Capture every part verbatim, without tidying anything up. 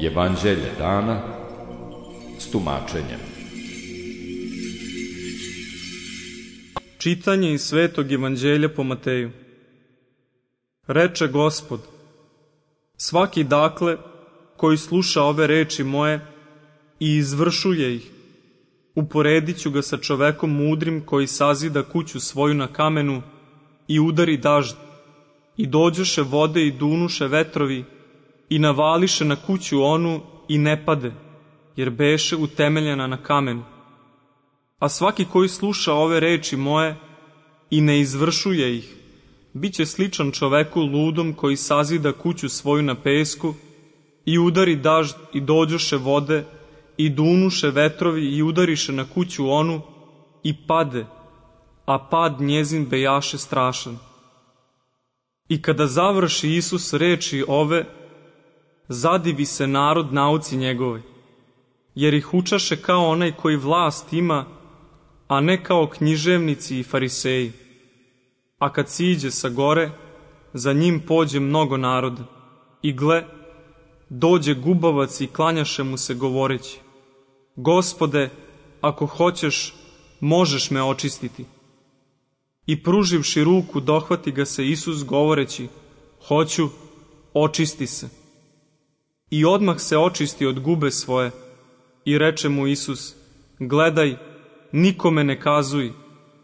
Evanđelje dana s tumačenjem. Čitanje iz Svetog Evanđelja po Mateju. Reče Gospod: svaki dakle koji sluša ove reči moje i izvršuje ih, uporedit ću ga sa čovekom mudrim koji sazida kuću svoju na kamenu i udari dažd, i dođoše vode i dunuše vetrovi i navališe na kuću onu i ne pade, jer beše utemeljena na kamenu. A svaki koji sluša ove reči moje i ne izvršuje ih, bit će sličan čoveku ludom koji sazida kuću svoju na pesku i udari dažd i dođoše vode i dunuše vetrovi i udariše na kuću onu i pade, a pad njezin bejaše strašan. I kada završi Isus reči ove, zadivi se narod nauci njegovoj, jer ih učaše kao onaj koji vlast ima, a ne kao književnici i fariseji. A kad siđe sa gore, za njim pođe mnogo naroda. I gle, dođe gubavac i klanjaše mu se govoreći: Gospode, ako hoćeš, možeš me očistiti. I pruživši ruku, dohvati ga se Isus govoreći: hoću, očisti se. I odmah se očisti od gube svoje. I reče mu Isus: gledaj, nikome ne kazuj,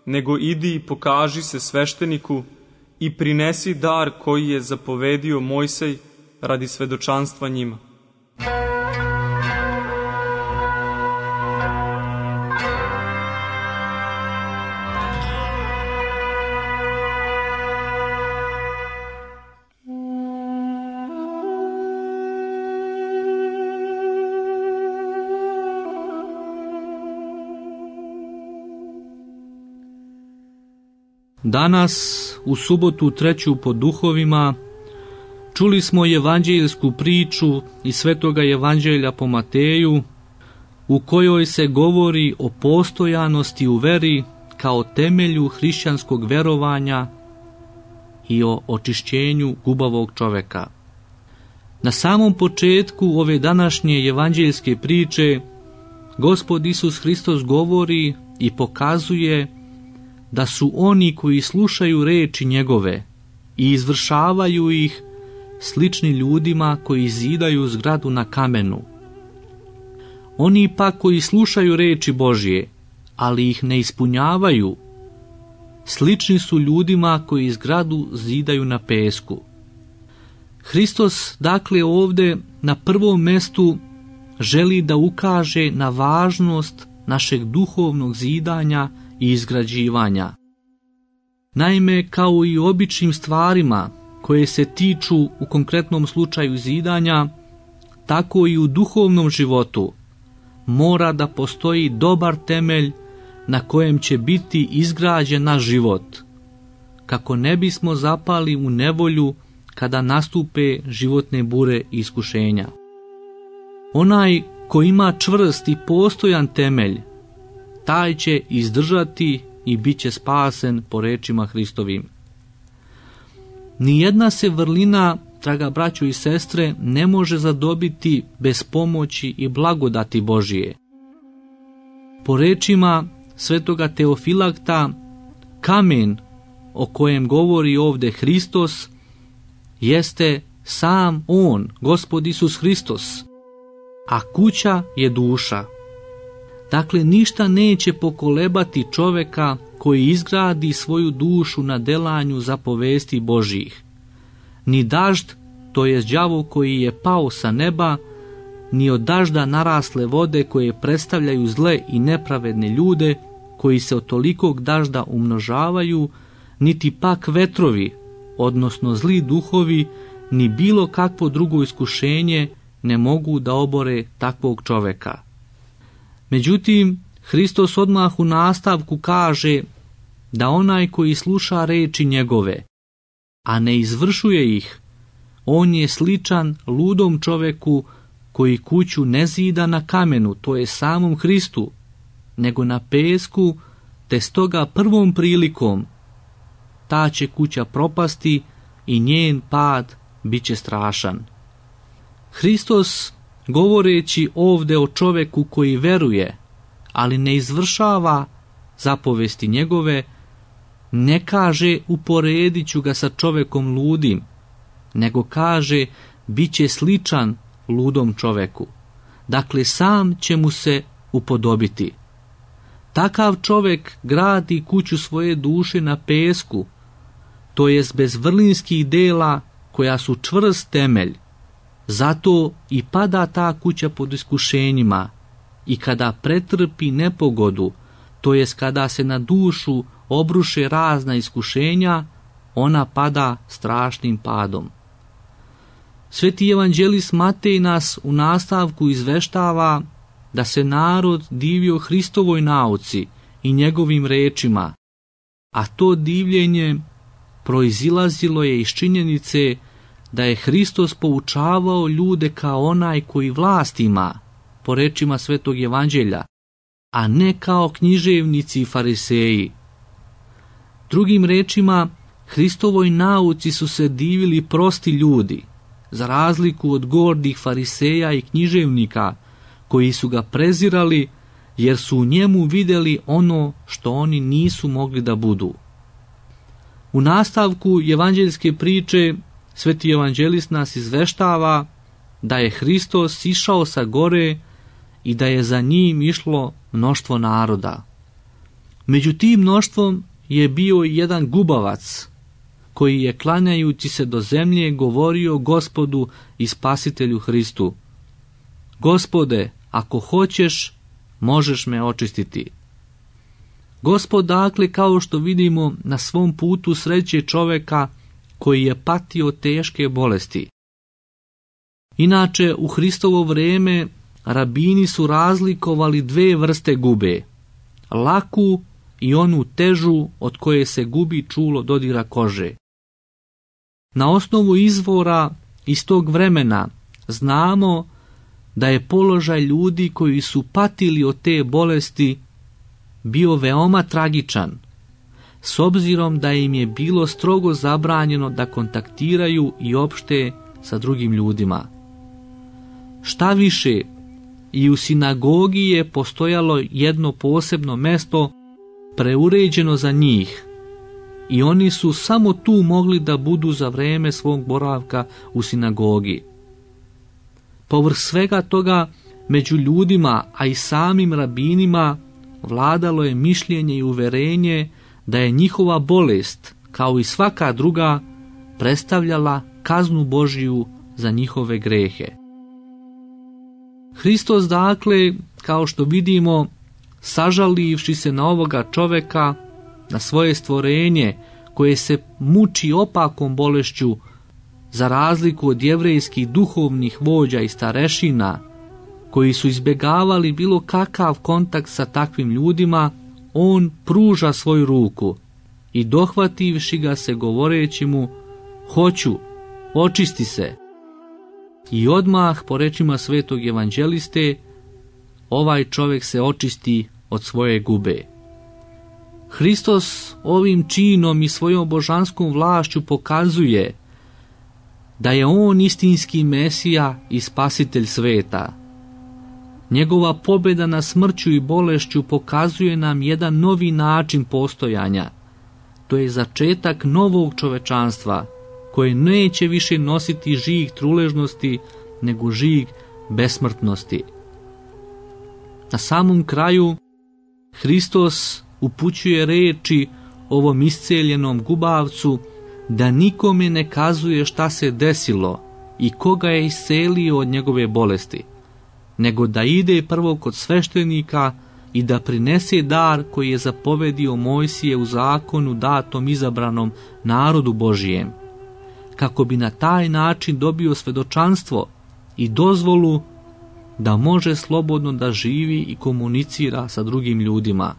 nego idi i pokaži se svešteniku i prinesi dar koji je zapovedio Mojsej radi svedočanstva njima. Danas, u subotu treću po duhovima, čuli smo evanđeljsku priču iz Svetoga Evanđelja po Mateju, u kojoj se govori o postojanosti u veri kao temelju hrišćanskog verovanja i o očišćenju gubavog čoveka. Na samom početku ove današnje evanđeljske priče Gospod Isus Hristos govori i pokazuje da su oni koji slušaju reči njegove i izvršavaju ih slični ljudima koji zidaju zgradu na kamenu. Oni pak koji slušaju reči Božje, ali ih ne ispunjavaju, slični su ljudima koji zgradu zidaju na pesku. Hristos, dakle, ovde na prvom mestu želi da ukaže na važnost našeg duhovnog zidanja i izgrađivanja. Naime, kao i u običnim stvarima koje se tiču u konkretnom slučaju zidanja, tako i u duhovnom životu mora da postoji dobar temelj na kojem će biti izgrađen naš život, kako ne bismo zapali u nevolju kada nastupe životne bure i iskušenja. Onaj ko ima čvrst i postojan temelj, taj će izdržati i bit će spasen po rečima Hristovim. Nijedna se vrlina, draga braćo i sestre, ne može zadobiti bez pomoći i blagodati Božije. Po rečima svetoga Teofilakta, kamen o kojem govori ovde Hristos jeste sam On, Gospod Isus Hristos, a kuća je duša. Dakle, ništa neće pokolebati čoveka koji izgradi svoju dušu na delanju zapovesti Božjih. Ni dažd, to jest đavo koji je pao sa neba, ni od dažda narasle vode koje predstavljaju zle i nepravedne ljude koji se od tolikog dažda umnožavaju, niti pak vetrovi, odnosno zli duhovi, ni bilo kakvo drugo iskušenje ne mogu da obore takvog čoveka. Međutim, Hristos odmah u nastavku kaže da onaj koji sluša reči njegove, a ne izvršuje ih, on je sličan ludom čoveku koji kuću ne zida na kamenu, to je samom Hristu, nego na pesku, te stoga prvom prilikom ta će kuća propasti i njen pad bit će strašan. Hristos govoreći ovde o čoveku koji veruje, ali ne izvršava zapovesti njegove, ne kaže uporedit ću ga sa čovekom ludim, nego kaže bit će sličan ludom čoveku. Dakle, sam će mu se upodobiti. Takav čovek gradi kuću svoje duše na pesku, to jest bez vrlinskih dela koja su čvrst temelj. Zato i pada ta kuća pod iskušenjima i kada pretrpi nepogodu, to jest kada se na dušu obruše razna iskušenja, ona pada strašnim padom. Sveti evanđelist Matej nas u nastavku izveštava da se narod divio Hristovoj nauci i njegovim rečima, a to divljenje proizilazilo je iz činjenice da je Hristos poučavao ljude kao onaj koji vlast ima, po rečima Svetog evanđelja, a ne kao književnici i fariseji. Drugim rečima, Hristovoj nauci su se divili prosti ljudi, za razliku od gordih fariseja i književnika, koji su ga prezirali jer su u njemu vidjeli ono što oni nisu mogli da budu. U nastavku evanđeljske priče Sveti evanđelist nas izveštava da je Hristos išao sa gore i da je za njim išlo mnoštvo naroda. Među tim mnoštvom je bio i jedan gubavac, koji je klanjajući se do zemlje govorio Gospodu i Spasitelju Hristu: Gospode, ako hoćeš, možeš me očistiti. Gospod, dakle, kao što vidimo, na svom putu sreće čoveka koji je patio teške bolesti. Inače, u Hristovo vrijeme rabini su razlikovali dve vrste gube, laku i onu težu od koje se gubi čulo dodira kože. Na osnovu izvora iz tog vremena znamo da je položaj ljudi koji su patili od te bolesti bio veoma tragičan, s obzirom da im je bilo strogo zabranjeno da kontaktiraju i opšte sa drugim ljudima. Šta više, i u sinagogi je postojalo jedno posebno mesto preuređeno za njih i oni su samo tu mogli da budu za vreme svog boravka u sinagogi. Povrh svega toga, među ljudima, a i samim rabinima, vladalo je mišljenje i uverenje da je njihova bolest, kao i svaka druga, predstavljala kaznu Božiju za njihove grehe. Hristos, dakle, kao što vidimo, sažalivši se na ovoga čoveka, na svoje stvorenje koje se muči opakom bolešću, za razliku od jevrejskih duhovnih vođa i starešina, koji su izbjegavali bilo kakav kontakt sa takvim ljudima, on pruža svoju ruku i dohvativši ga se govoreći mu: hoću, očisti se. I odmah, po rečima Svetog evanđeliste, ovaj čovjek se očisti od svoje gube. Hristos ovim činom i svojom božanskom vlašću pokazuje da je on istinski Mesija i Spasitelj sveta. Njegova pobjeda na smrću i bolešću pokazuje nam jedan novi način postojanja. To je začetak novog čovečanstva, koje neće više nositi žig truležnosti, nego žig besmrtnosti. Na samom kraju, Hristos upućuje reči ovom isceljenom gubavcu da nikome ne kazuje šta se desilo i koga je iscelio od njegove bolesti, nego da ide prvo kod sveštenika i da prinese dar koji je zapovedio Mojsije u zakonu datom izabranom narodu Božijem, kako bi na taj način dobio svedočanstvo i dozvolu da može slobodno da živi i komunicira sa drugim ljudima.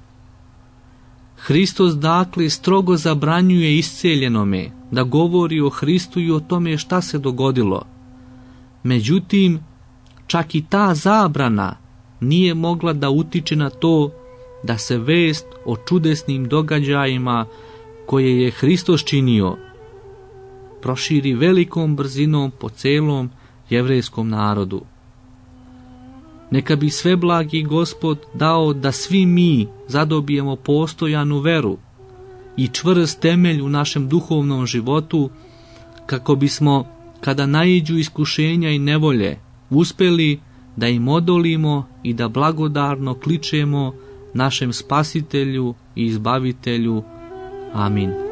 Hristos, dakle, strogo zabranjuje isceljenome da govori o Hristu i o tome šta se dogodilo. Međutim, čak i ta zabrana nije mogla da utiče na to da se vest o čudesnim događajima koje je Hristos činio proširi velikom brzinom po celom jevrejskom narodu. Neka bi sveblagi Gospod dao da svi mi zadobijemo postojanu veru i čvrst temelj u našem duhovnom životu, kako bismo, kada naiđu iskušenja i nevolje, uspeli da im odolimo i da blagodarno kličemo našem Spasitelju i Izbavitelju. Amin.